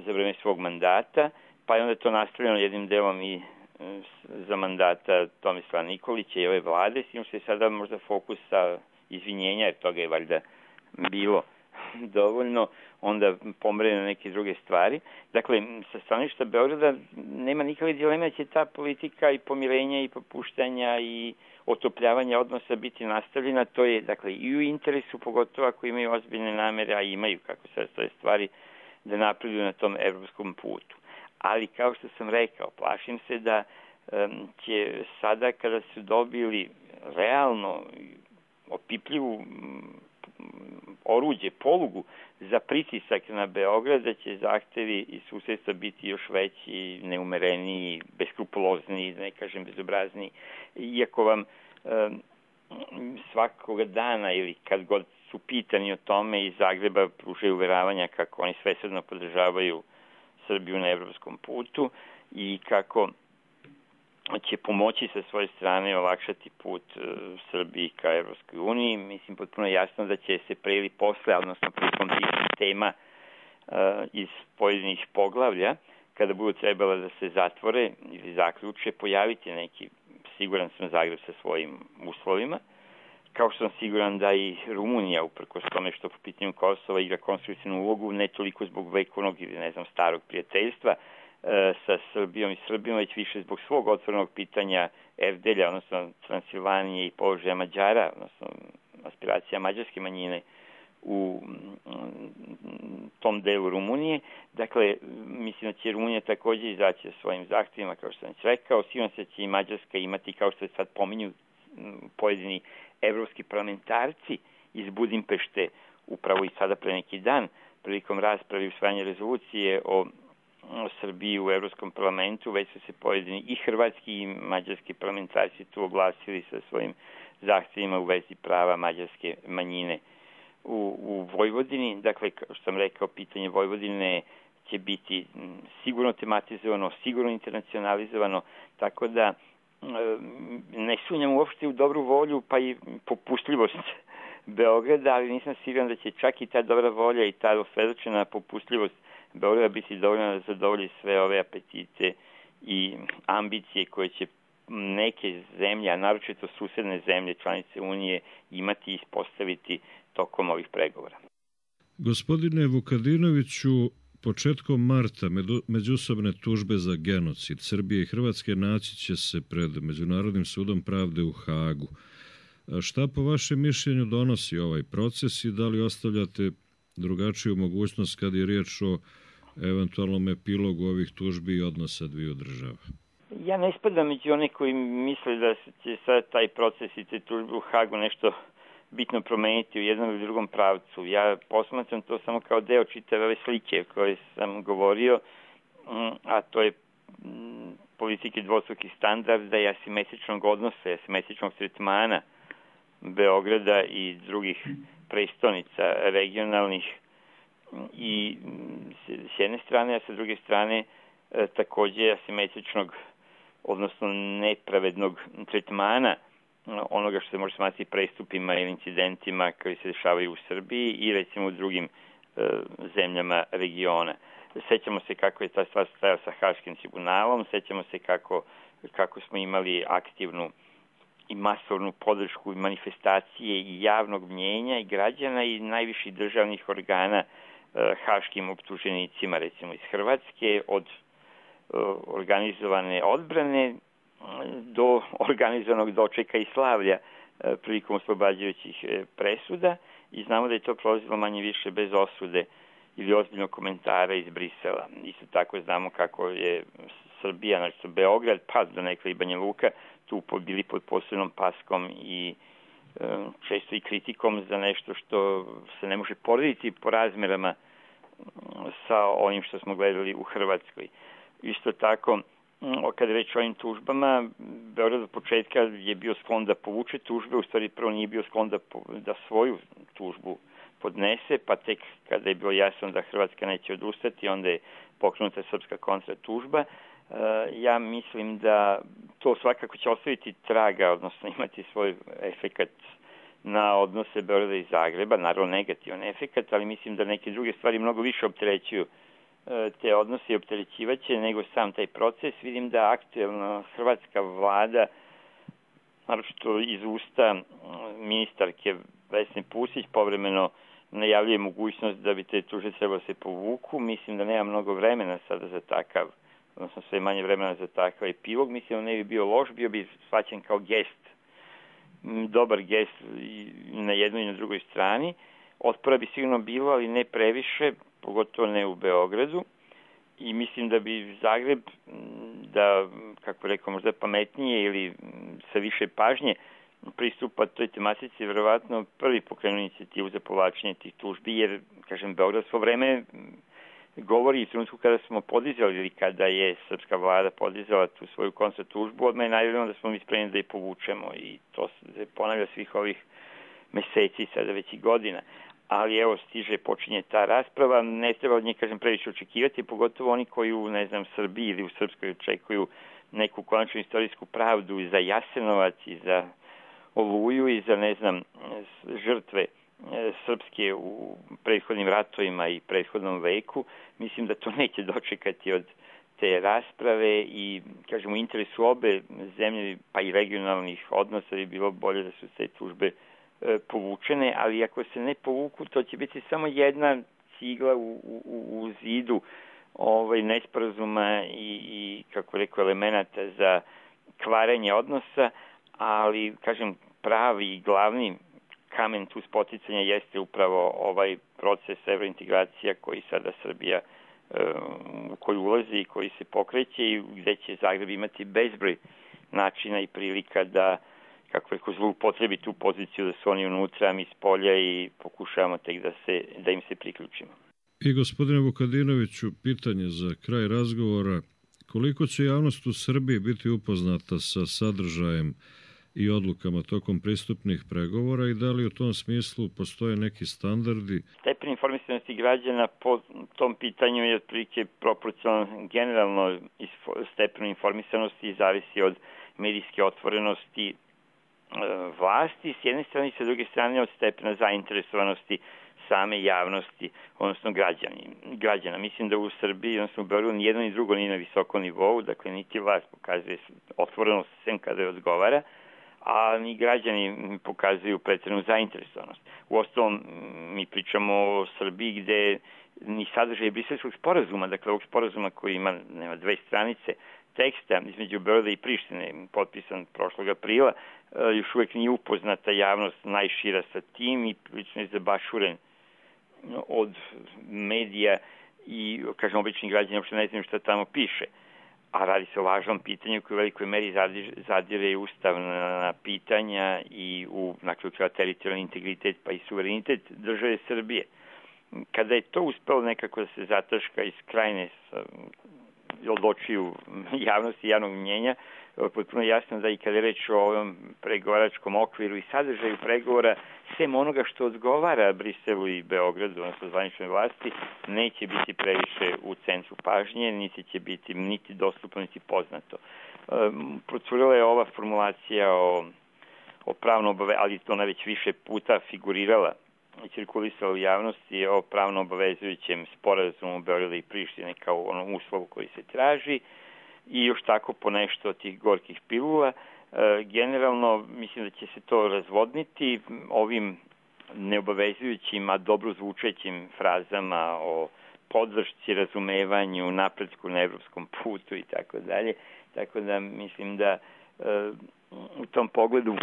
za vreme svog mandata, pa je onda to nastavljeno jednim delom i za mandata Tomislava Nikolića i ove vlade, s tim što je sada možda fokus sa izvinjenja, jer toga je valjda bilo dovoljno, onda pomre na neke druge stvari. Dakle, sa stanovišta Beograda nema nikakve dileme da će ta politika i pomirenja i popuštanja i otopljavanja odnosa biti nastavljena. To je, dakle, i u interesu, pogotovo ako imaju ozbiljne namere, a imaju, kako se stoje stvari, da napreduju na tom evropskom putu. Ali, kao što sam rekao, plašim se da će sada, kada su dobili realno opipljivu oruđe, polugu za pritisak na Beograd, da će zahtevi i susedstva biti još veći, neumereniji, beskrupulozniji, da ne kažem bezobrazniji. Iako vam svakoga dana ili kad god su pitani o tome iz Zagreba pružaju uveravanja kako oni svesrdno podržavaju Srbiju na evropskom putu i kako će pomoći sa svoje strane olakšati put Srbiji ka Evropskoj uniji. Mislim, potpuno jasno da će se pre ili posle, odnosno prilikom tih tema iz pojedinih poglavlja, kada budu trebala da se zatvore ili zaključe, pojaviti neki, siguran sam, Zagreb sa svojim uslovima, kao što sam siguran da i Rumunija, uprkos tome što po pitanju Kosova igra konstruktivnu ulogu, ne toliko zbog vekovnog ili, ne znam, starog prijateljstva sa Srbijom i Srbijom, već više zbog svog otvorenog pitanja Erdelja, odnosno Transilvanije i položaja Mađara, odnosno aspiracija mađarske manjine u tom delu Rumunije. Dakle, mislim da će Rumunija također izaći sa svojim zahtjevima, kao što sam već rekao. Sigurno se će i Mađarska imati, kao što se sad pominju pojedini evropski parlamentarci iz Budimpešte, upravo i sada pre neki dan, prilikom rasprave i usvajanja rezolucije o Srbiji u Evropskom parlamentu, već su se pojedini i hrvatski i mađarski parlamentarci tu oglasili sa svojim zahtjevima u vezi prava mađarske manjine u Vojvodini. Dakle, kao što sam rekao, pitanje Vojvodine će biti sigurno tematizovano, sigurno internacionalizovano, tako da ne sumnjam uopšte u dobru volju pa i popustljivost Beograda, ali nisam siguran da će čak i ta dobra volja i ta osvedočena popustljivost Beograda biti dovoljno da zadovolji sve ove apetite i ambicije koje će neke zemlje, a naročito susedne zemlje, članice Unije, imati i ispostaviti tokom ovih pregovora. Gospodine Vukadinoviću, početkom marta međusobne tužbe za genocid Srbije i Hrvatske naći će se pred Međunarodnim sudom pravde u Hagu. Šta po vašem mišljenju donosi ovaj proces i da li ostavljate drugačiju mogućnost kad je riječ o eventualnom epilogu ovih tužbi i odnosa dviju država? Ja ne spadam među one koji misle da će sad taj proces i te tužbe u Hagu nešto bitno promeniti u jednom ili drugom pravcu. Ja posmatram to samo kao deo čitave ove slike o kojoj sam govorio, a to je politike dvostrukih standarda i asimetričnog odnosa, asimetričnog tretmana Beograda i drugih prestonica regionalnih i s jedne strane, a sa druge strane također asimetričnog, odnosno nepravednog tretmana onoga što se može smatrati prestupima ili incidentima koji se dešavaju u Srbiji i recimo u drugim zemljama regiona. Sećamo se kako je ta stvar stajala sa Haškim tribunalom, sećamo se kako smo imali aktivnu i masovnu podršku i manifestacije i javnog mnjenja i građana i najviših državnih organa haškim optuženicima, recimo iz Hrvatske, od organizovane odbrane do organizovanog dočeka i slavlja prilikom oslobađajućih presuda i znamo da je to prolazilo manje više bez osude ili ozbiljnog komentara iz Brisela. Isto tako znamo kako je Srbija, znači Beograd, pa do nekada i Banja Luka, tu bili pod posebnom paskom i često i kritikom za nešto što se ne može porediti po razmerama sa onim što smo gledali u Hrvatskoj. Isto tako, kada reč o ovim tužbama, Beograd od početka je bio sklon da povuče tužbe, u stvari prvo nije bio sklon da svoju tužbu podnese, pa tek kada je bilo jasno da Hrvatska neće odustati, onda je pokrenuta srpska kontratužba. Ja mislim da to svakako će ostaviti traga, odnosno imati svoj efekat na odnose Beograda i Zagreba, naravno negativan efekat, ali mislim da neke druge stvari mnogo više opterećuju te odnose i opterećivaće nego sam taj proces. Vidim da aktuelna hrvatska vlada, naročito iz usta ministarke Vesne Pusić, povremeno najavljuje mogućnost da bi te tužbe trebalo se povuku. Mislim da nema mnogo vremena sada za takav, odnosno sve manje vremena za takav epilog. Mislim da ne bi bio loš, bio bi shvaćen kao gest, dobar gest na jednoj i na drugoj strani. Otpora bi sigurno bilo, ali ne previše, pogotovo ne u Beogradu. I mislim da bi Zagreb, da, kako rekao, možda pametnije ili sa više pažnje pristupa toj tematici, verovatno prvi pokrenuo inicijativu za povlačenje tih tužbi, jer, kažem, Beograd svo vreme govori u trenutku kada smo podizali ili kada je srpska vlada podizala tu svoju kontra tužbu, odmah je najavljeno da smo mi spremni da je povučemo i to se ponavlja svih ovih meseci, sada već i godina. Ali evo, počinje ta rasprava, ne treba od njih, kažem, previše očekivati, pogotovo oni koji u, ne znam, Srbiji ili u Srpskoj očekuju neku konačnu istorijsku pravdu i za Jasenovac i za Oluju i za, ne znam, žrtve srpske u prethodnim ratovima i prethodnom veku. Mislim da to neće dočekati od te rasprave i, kažem, u interesu obe zemlje, pa i regionalnih odnosa bi bilo bolje da su te tužbe povučene, ali ako se ne povuku, to će biti samo jedna cigla u zidu nesporazuma i kako rekao, elemenata za kvarenje odnosa, ali, kažem, pravi i glavni kamen tu spoticanja jeste upravo ovaj proces evrointegracija koji sada Srbija u koji ulazi i koji se pokreće i gde će Zagreb imati bezbroj načina i prilika da, kako rekao, zloupotrebi tu poziciju da su oni unutra, mi s polja i pokušavamo tek da im se priključimo. I gospodine Vukadinoviću, pitanje za kraj razgovora, koliko će javnost u Srbiji biti upoznata sa sadržajem i odlukama tokom pristupnih pregovora i da li u tom smislu postoje neki standardi? Stepen informisanosti građana po tom pitanju je otprilike proporcionalno generalno stepenu informisanosti i zavisi od medijske otvorenosti vlasti s jedne strane i sa druge strane od stepena zainteresovanosti same javnosti, odnosno građana. Mislim da u Srbiji, odnosno u Beogradu, ni jedno ni drugo nije na visokom nivou, dakle niti vlast pokazuje otvorenost sem kada je odgovara, a ni građani pokazuju pretjeranu zainteresovanost. Uostalom, mi pričamo o Srbiji gde ni sadržaj Briselskog sporazuma, dakle ovog sporazuma koji nema 2 stranice teksta između Beograda i Prištine, potpisan prošlog aprila, još uvek nije upoznata javnost najšira sa tim i prilično je zabašuren od medija i, kažem, obični građani uopšte ne znaju šta tamo piše. A radi se o važnom pitanju koje u velikoj meri zadire i ustavna pitanja i u teritorijalni integritet pa i suverenitet države Srbije. Kada je to uspelo nekako da se zataška iz krajine od očiju javnosti i javnog mnjenja, potpuno jasno da i kada je reč o ovom pregovaračkom okviru i sadržaju pregovora, sem onoga što odgovara Briselu i Beogradu, odnosno zvaničnoj vlasti, neće biti previše u centru pažnje, niti će biti niti dostupno, niti poznato. Procurila je ova formulacija o pravno ali ona već više puta figurirala i cirkulisala u javnosti o pravno obavezujućem sporazumu Beograda i Prištine kao onom uslovu koji se traži i još tako po nešto od tih gorkih pilula. Generalno mislim da će se to razvodniti ovim neobavezujućim, a dobro zvučećim frazama o podršci, razumevanju, napretku na evropskom putu i tako dalje. Tako da mislim da u tom pogledu,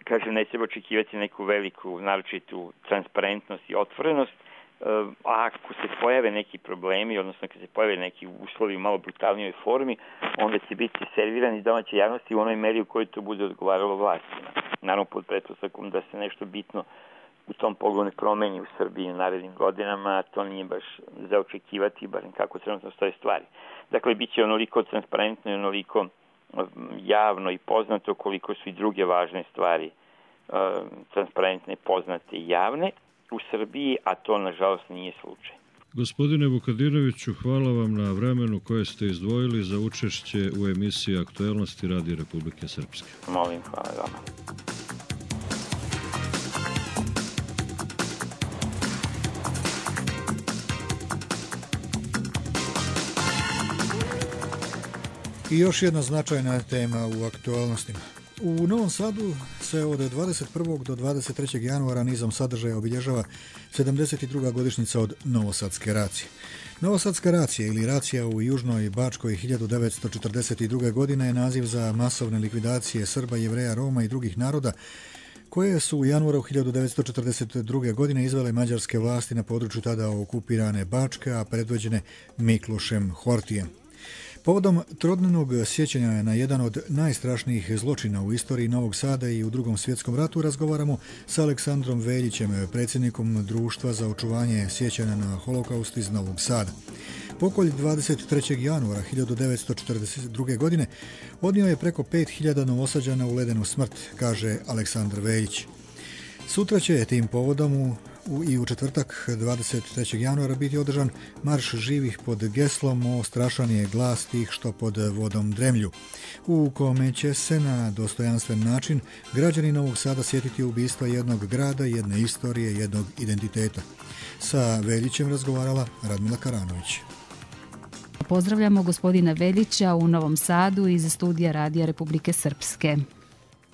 kažem, ne treba očekivati neku veliku, naročitu transparentnost i otvorenost. A ako se pojave neki problemi, odnosno kad se pojave neki uslovi u malo brutalnijoj formi, onda će biti servirani domaće javnosti u onoj meri u kojoj to bude odgovaralo vlastima. Naravno, pod pretpostavkom da se nešto bitno u tom pogledu ne promeni u Srbiji u narednim godinama, a to nije baš za očekivati, barem kako trenutno stoje stvari. Dakle, bit će onoliko transparentno i onoliko javno i poznato koliko su i druge važne stvari transparentne, poznate i javne u Srbiji, a to nažalost nije slučaj. Gospodine Vukadinoviću, hvala vam na vremenu koje ste izdvojili za učešće u emisiji Aktuelnosti Radija Republike Srpske. Molim, hvala vama. I još jedna značajna tema u aktualnostima. U Novom Sadu se od 21. do 23. januara nizom sadržaja obilježava 72. godišnjica od Novosadske racije. Novosadska racija ili racija u Južnoj Bačkoj 1942. godine je naziv za masovne likvidacije Srba, Jevreja, Roma i drugih naroda koje su u januaru 1942. godine izvele mađarske vlasti na području tada okupirane Bačke, a predvođene Miklošem Hortijem. Povodom trodnevnog sjećanja na jedan od najstrašnijih zločina u istoriji Novog Sada i u Drugom svjetskom ratu razgovaramo sa Aleksandrom Veljićem, predsjednikom Društva za očuvanje sjećanja na holokaust iz Novog Sada. Pokolj 23. januara 1942. godine odnio je preko 5000 Novosađana u ledenu smrt, kaže Aleksandar Veljić. Sutra će tim povodom i u četvrtak 23. januara biti održan marš živih pod geslom "O strašan je glas tih što pod vodom dremlju", u kome će se na dostojanstven način građani Novog Sada sjetiti ubistva jednog grada, jedne istorije, jednog identiteta. Sa Veljićem razgovarala Radmila Karanović. Pozdravljamo gospodina Veljića u Novom Sadu iz studija Radija Republike Srpske.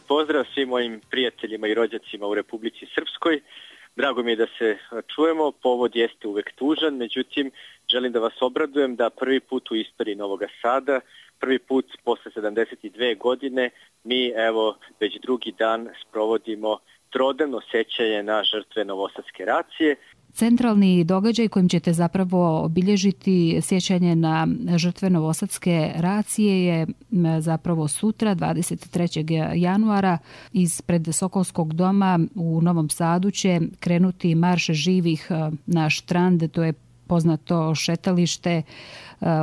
Pozdrav svim mojim prijateljima i rođacima u Republici Srpskoj. Drago mi je da se čujemo, povod jeste uvek tužan, međutim želim da vas obradujem da prvi put u istoriji Novog Sada, prvi put posle 72 godine, mi evo već drugi dan sprovodimo trodnevno sećanje na žrtve Novosadske racije. Centralni događaj kojim ćete zapravo obilježiti sjećanje na žrtve Novosadske racije je zapravo sutra, 23. januara, ispred Sokolskog doma u Novom Sadu će krenuti marš živih na Štrand, to je poznato šetalište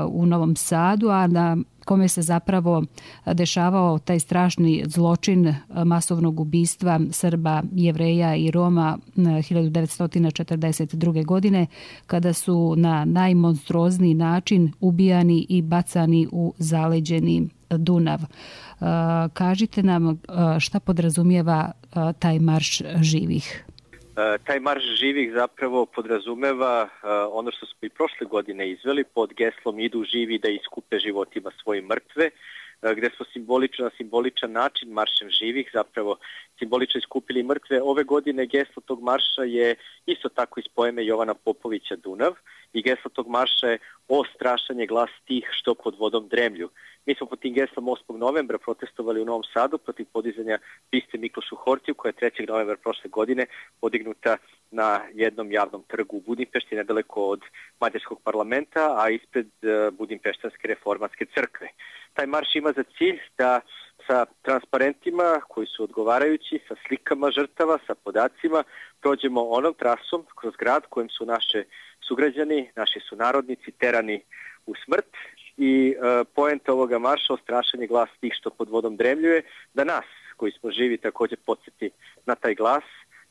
u Novom Sadu, a na kome se zapravo dešavao taj strašni zločin masovnog ubistva Srba, Jevreja i Roma 1942. godine, kada su na najmonstruozniji način ubijani i bacani u zaleđeni Dunav. Kažite nam šta podrazumijeva taj marš živih? Taj marš živih zapravo podrazumeva ono što smo i prošle godine izveli pod geslom "Idu živi da iskupe životima svoje mrtve", gde smo na simboličan način maršem živih zapravo simbolično iskupili mrtve. Ove godine geslo tog marša je isto tako iz poeme Jovana Popovića Dunav i geslo tog marša je "O strašan je glas tih što pod vodom dremlju". Mi smo pod tim geslom 8. novembra protestovali u Novom Sadu protiv podizanja biste Miklošu Hortiju, koja je 3. novembra prošle godine podignuta na jednom javnom trgu u Budimpešti, nedaleko od mađarskog parlamenta, a ispred Budimpeštanske reformatske crkve. Taj marš ima za cilj da sa transparentima koji su odgovarajući, sa slikama žrtava, sa podacima, prođemo onom trasom kroz grad kojim su naše sugrađani, naši sunarodnici terani u smrt. I poenta ovoga marša, "Strašan je glas tih što pod vodom dremljuje", da nas koji smo živi također podsjeti na taj glas,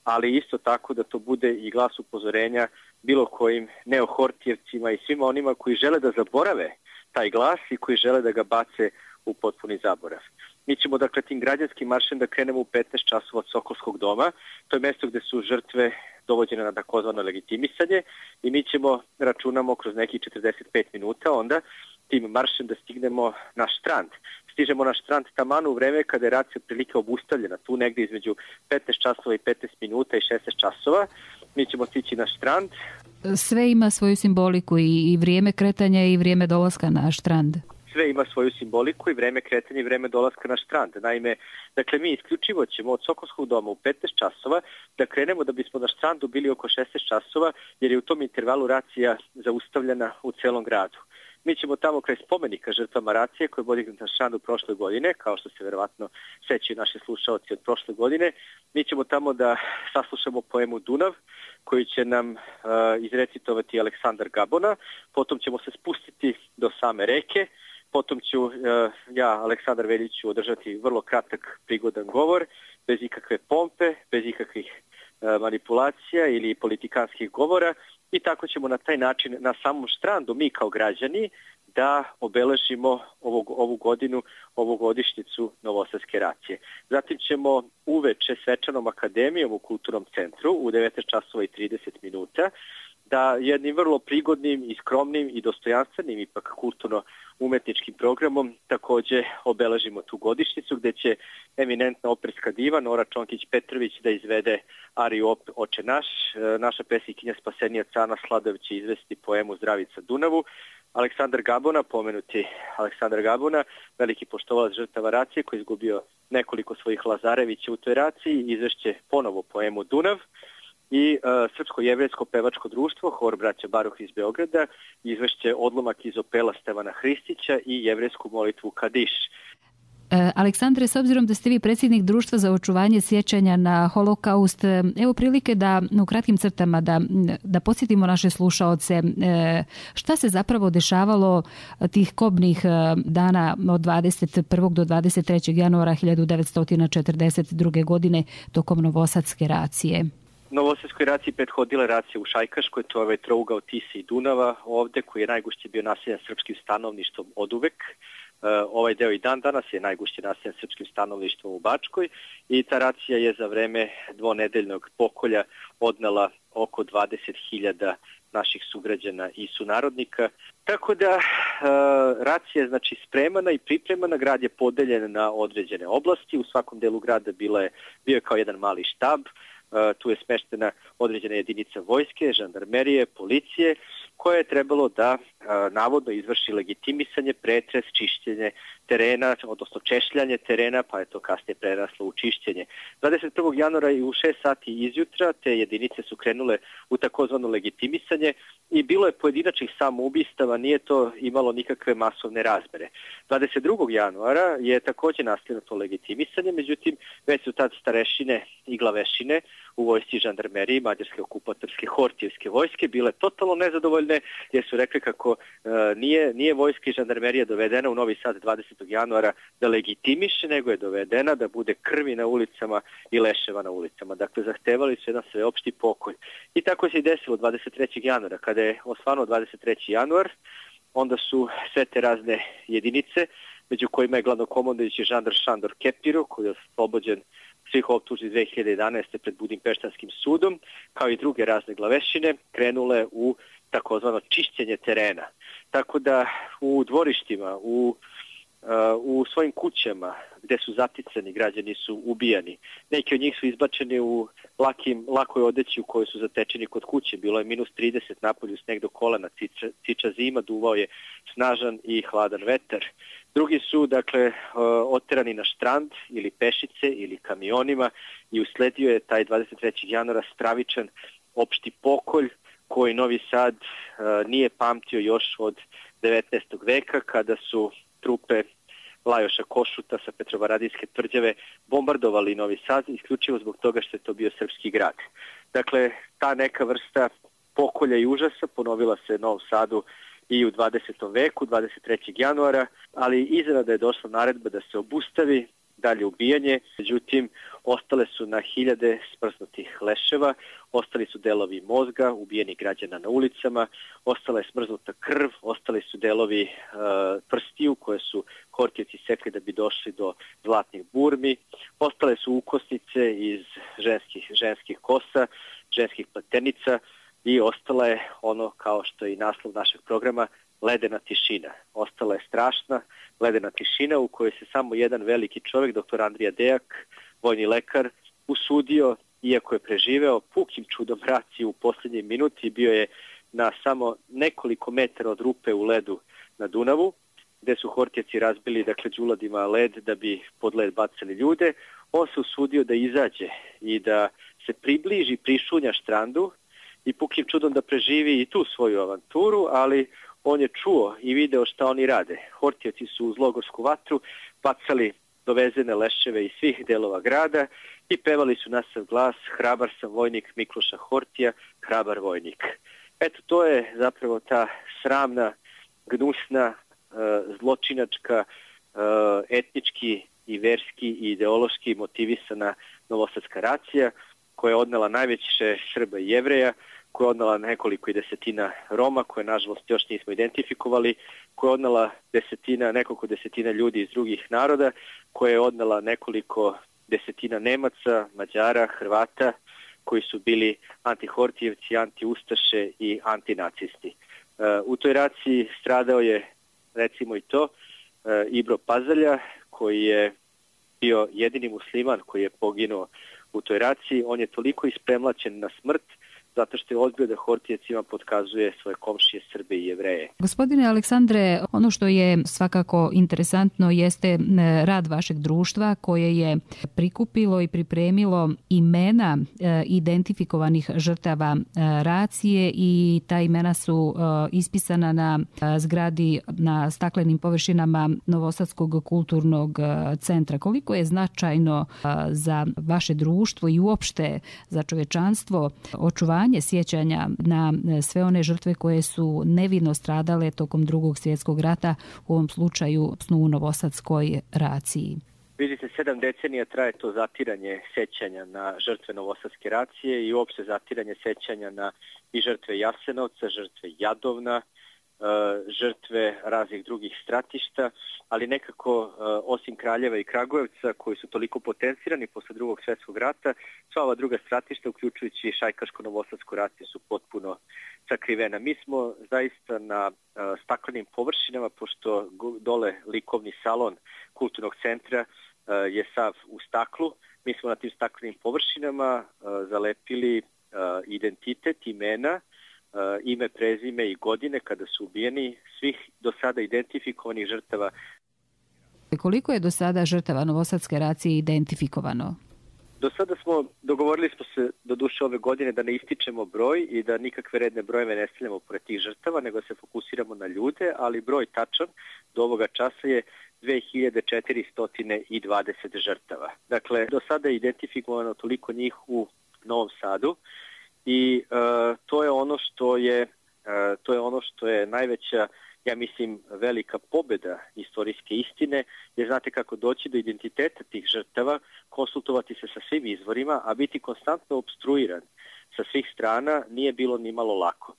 ali isto tako da to bude i glas upozorenja bilo kojim neohortijevcima i svima onima koji žele da zaborave taj glas i koji žele da ga bace u potpuni zaborav. Mi ćemo dakle tim građanskim maršem da krenemo u 15 časova od Sokolskog doma. To je mjesto gdje su žrtve dovođene na takozvano legitimisanje i mi ćemo, računamo, kroz nekih 45 minuta onda tim maršem da stignemo na Štrand. Stižemo na Štrand taman u vreme kada je racija prilike obustavljena, tu negdje između 15 časova i 15 minuta i 16 časova. Mi ćemo stići na Štrand. Sve ima svoju simboliku, i vrijeme kretanja i vrijeme dolaska na Štrand. Sve ima svoju simboliku, i vrijeme kretanja i vrijeme dolaska na Štrand. Naime, dakle, mi isključivo ćemo od Sokolskog doma u 15 časova da krenemo da bismo na Štrandu bili oko 16 časova, jer je u tom intervalu racija zaustavljena u celom gradu. Mi ćemo tamo kraj spomenika žrtvama racije koji je podignut na Štrandu prošle godine, kao što se verovatno sećaju naši slušaoci od prošle godine. Mi ćemo tamo da saslušamo poemu Dunav, koju će nam izrecitovati Aleksandar Gabona. Potom ćemo se spustiti do same reke. Potom ću ja, Aleksandar Veljić, održati vrlo kratak prigodan govor, bez ikakve pompe, bez ikakvih manipulacija ili politikanskih govora, i tako ćemo na taj način na samom Štrandu mi kao građani da obeležimo ovu godinu, ovu godišnjicu Novosadske racije. Zatim ćemo uveče svečanom akademijom u Kulturnom centru u 19 časova i 30 minuta da jednim vrlo prigodnim i skromnim i dostojanstvenim ipak kulturno-umetničkim programom također obeležimo tu godišnjicu, gdje će eminentna operska diva Nora Čonkić-Petrović da izvede ariju Oče naš. Naša pesnikinja Spasenija Cana Sladović će izvesti poemu Zdravica Dunavu. Aleksandar Gabona, pomenuti Aleksandar Gabona, veliki poštovalac žrtava racije koji je izgubio nekoliko svojih Lazarevića u toj raciji, izvešće ponovo poemu Dunav. I Srpsko-jevrejsko pevačko društvo, hor braća Baruh iz Beograda, izvešće odlomak iz opela Stevana Hristića i jevrejsku molitvu Kadiš. Aleksandre, s obzirom da ste vi predsjednik Društva za očuvanje sjećanja na holokaust, evo prilike da u kratkim crtama da podsjetimo naše slušaoce šta se zapravo dešavalo tih kobnih dana od 21. do 23. januara 1942. godine tokom Novosadske racije. Novosadskoj raciji prethodila racija u Šajkaškoj, to je trougao Tise i Dunava ovde, koji je najgušće bio naseljen srpskim stanovništvom oduvek. Ovaj deo i dan danas je najgušće naseljen srpskim stanovništvom u Bačkoj i ta racija je za vreme dvonedeljnog pokolja odnela oko 20.000 naših sugrađana i sunarodnika. Tako da racija je znači spremana i pripremana, grad je podeljen na određene oblasti, u svakom delu grada bio je kao jedan mali štab. Tu je smeštena određena jedinica vojske, žandarmerije, policije, koje je trebalo da navodno izvrši legitimisanje, pretres, čišćenje terena, odnosno češljanje terena, pa je to kasnije preraslo u čišćenje. 21. januara i u 6 sati izjutra te jedinice su krenule u takozvano legitimisanje i bilo je pojedinačnih samoubistava, nije to imalo nikakve masovne razmere. 22. januara je također nastavljeno to legitimisanje, međutim već su tad starešine i glavešine u vojsci žandarmeriji mađarske okupatorske Hortijevske vojske bile totalno nezadovoljne jer su rekli kako nije vojska i žandarmerija dovedena u Novi Sad 20. januara da legitimiše, nego je dovedena da bude krvi na ulicama i leševa na ulicama. Dakle, zahtevali su jedan sveopšti pokolj. I tako se i desilo 23. januara. Kada je osvanuo 23. januar, onda su sve te razne jedinice, među kojima je glavnokomandujući žandar Šandor Kepiro, koji je oslobođen svih optužbi 2011. pred Budimpeštanskim sudom, kao i druge razne glavešine, krenule u takozvano čišćenje terena. Tako da u dvorištima, u svojim kućama gde su zaticani, građani su ubijani. Neki od njih su izbačeni u lakoj odeći u kojoj su zatečeni kod kuće. Bilo je minus 30 napolju, sneg do kolena, ciča zima, duvao je snažan i hladan vetar. Drugi su, dakle, oterani na štrand ili pešice ili kamionima i usledio je taj 23. januara stravičan opšti pokolj koji Novi Sad nije pamtio još od 19. veka kada su trupe Lajoša Košuta sa Petrovaradijske tvrđave bombardovali Novi Sad isključivo zbog toga što je to bio srpski grad. Dakle, ta neka vrsta pokolja i užasa ponovila se Novom Sadu i u 20. veku, 23. januara, ali iznenada je došla naredba da se obustavi dalje ubijanje, međutim ostale su na hiljade smrznutih leševa, ostali su delovi mozga, ubijeni građana na ulicama, ostala je smrznuta krv, ostali su delovi prstiju koje su Hortijevci sekli da bi došli do zlatnih burmi, ostale su ukosnice iz ženskih kosa, ženskih platenica i ostala je ono kao što je i naslov našeg programa, ledena tišina. Ostala je strašna ledena tišina u kojoj se samo jedan veliki čovjek, dr. Andrija Dejak, vojni lekar, usudio, iako je preživeo, pukim čudom raciju u posljednjoj minuti, bio je na samo nekoliko metara od rupe u ledu na Dunavu, gde su Hortijevci razbili, dakle, đuladima led da bi pod led bacali ljude. On se usudio da izađe i da se približi, prišunja štrandu i pukim čudom da preživi i tu svoju avanturu, ali on je čuo i video šta oni rade. Hortijevci su uz logorsku vatru bacali dovezene leševe iz svih delova grada i pevali su na sav glas: hrabar sam vojnik Mikloša Hortija, hrabar vojnik. Eto, to je zapravo ta sramna, gnusna, zločinačka, etnički i verski i ideološki motivisana novosadska racija koja je odnela najveće Srba i Jevreja, koja je odnela nekoliko i desetina Roma, koje nažalost još nismo identifikovali, koja je odnela nekoliko desetina ljudi iz drugih naroda, koja je odnela nekoliko desetina Nemaca, Mađara, Hrvata, koji su bili antihortijevci, antiustaše i antinacisti. U toj raciji stradao je, recimo i to, Ibro Pazalja, koji je bio jedini musliman koji je poginuo u toj raciji. On je toliko ispremlaćen na smrt zato što je odbio da Hortijevcima potkazuje svoje komšije Srbe i Jevreje. Gospodine Aleksandre, ono što je svakako interesantno jeste rad vašeg društva koje je prikupilo i pripremilo imena identifikovanih žrtava racije i ta imena su ispisana na zgradi na staklenim površinama Novosadskog kulturnog centra. Koliko je značajno za vaše društvo i uopšte za čovečanstvo očuvanje sjećanja na sve one žrtve koje su nevino stradale tokom Drugog svjetskog rata, u ovom slučaju u Novosadskoj raciji? Vidite, 7 decenija traje to zatiranje sećanja na žrtve Novosadske racije i uopšte zatiranje sećanja na i žrtve Jasenovca, žrtve Jadovna, žrtve raznih drugih stratišta, ali nekako osim Kraljeva i Kragujevca koji su toliko potencirani posle Drugog svjetskog rata, sva ova druga stratišta, uključujući Šajkaško-Novosadsku raciju, su potpuno sakrivena. Mi smo zaista na staklenim površinama, pošto dole likovni salon kulturnog centra je sav u staklu, mi smo na tim staklenim površinama zalepili identitet, imena, ime, prezime i godine kada su ubijeni svih do sada identifikovanih žrtava. Koliko je do sada žrtava Novosadske racije identifikovano? Do sada dogovorili smo se do duše ove godine da ne ističemo broj i da nikakve redne brojeve ne stavljamo pored tih žrtava, nego se fokusiramo na ljude, ali broj tačan do ovoga časa je 2420 žrtava. Dakle, do sada je identifikovano toliko njih u Novom Sadu. I to je ono što je najveća, ja mislim, velika pobjeda istorijske istine, jer znate kako doći do identiteta tih žrtava, konsultovati se sa svim izvorima, a biti konstantno opstruiran sa svih strana nije bilo ni malo lako.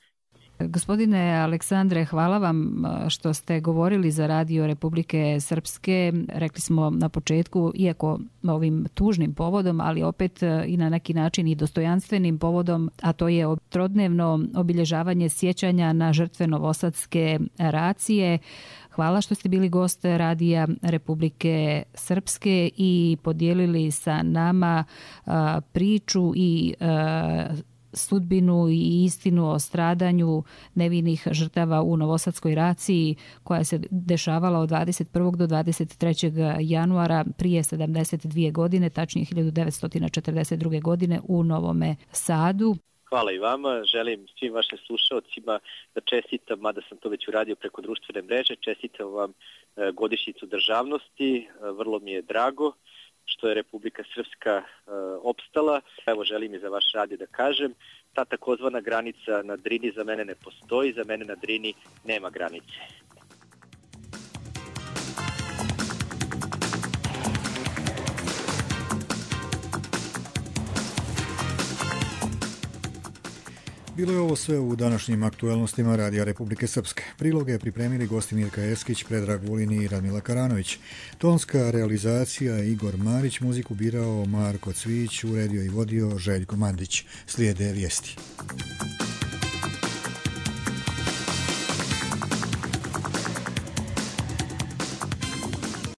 Gospodine Aleksandre, hvala vam što ste govorili za Radio Republike Srpske. Rekli smo na početku, iako ovim tužnim povodom, ali opet i na neki način i dostojanstvenim povodom, a to je trodnevno obilježavanje sjećanja na žrtve Novosadske racije. Hvala što ste bili gost Radija Republike Srpske i podijelili sa nama priču i sudbinu i istinu o stradanju nevinih žrtava u Novosadskoj raciji koja se dešavala od 21. do 23. januara prije 72 godine, tačnije 1942. godine u Novome Sadu. Hvala i vama. Želim svim vašim slušalcima da čestitam, mada sam to već uradio preko društvene mreže, čestitam vam godišnjicu državnosti. Vrlo mi je drago što je Republika Srpska opstala. Evo, želim i za vaš radio da kažem, ta takozvana granica na Drini za mene ne postoji, za mene na Drini nema granice. Bilo je ovo sve u današnjim aktualnostima Radija Republike Srpske. Priloge je pripremili gosti Mirka Eskić, Predrag Vulin i Radmila Karanović. Tonska realizacija Igor Marić, muziku birao Marko Cvić, uredio i vodio Željko Mandić. Slijede vijesti.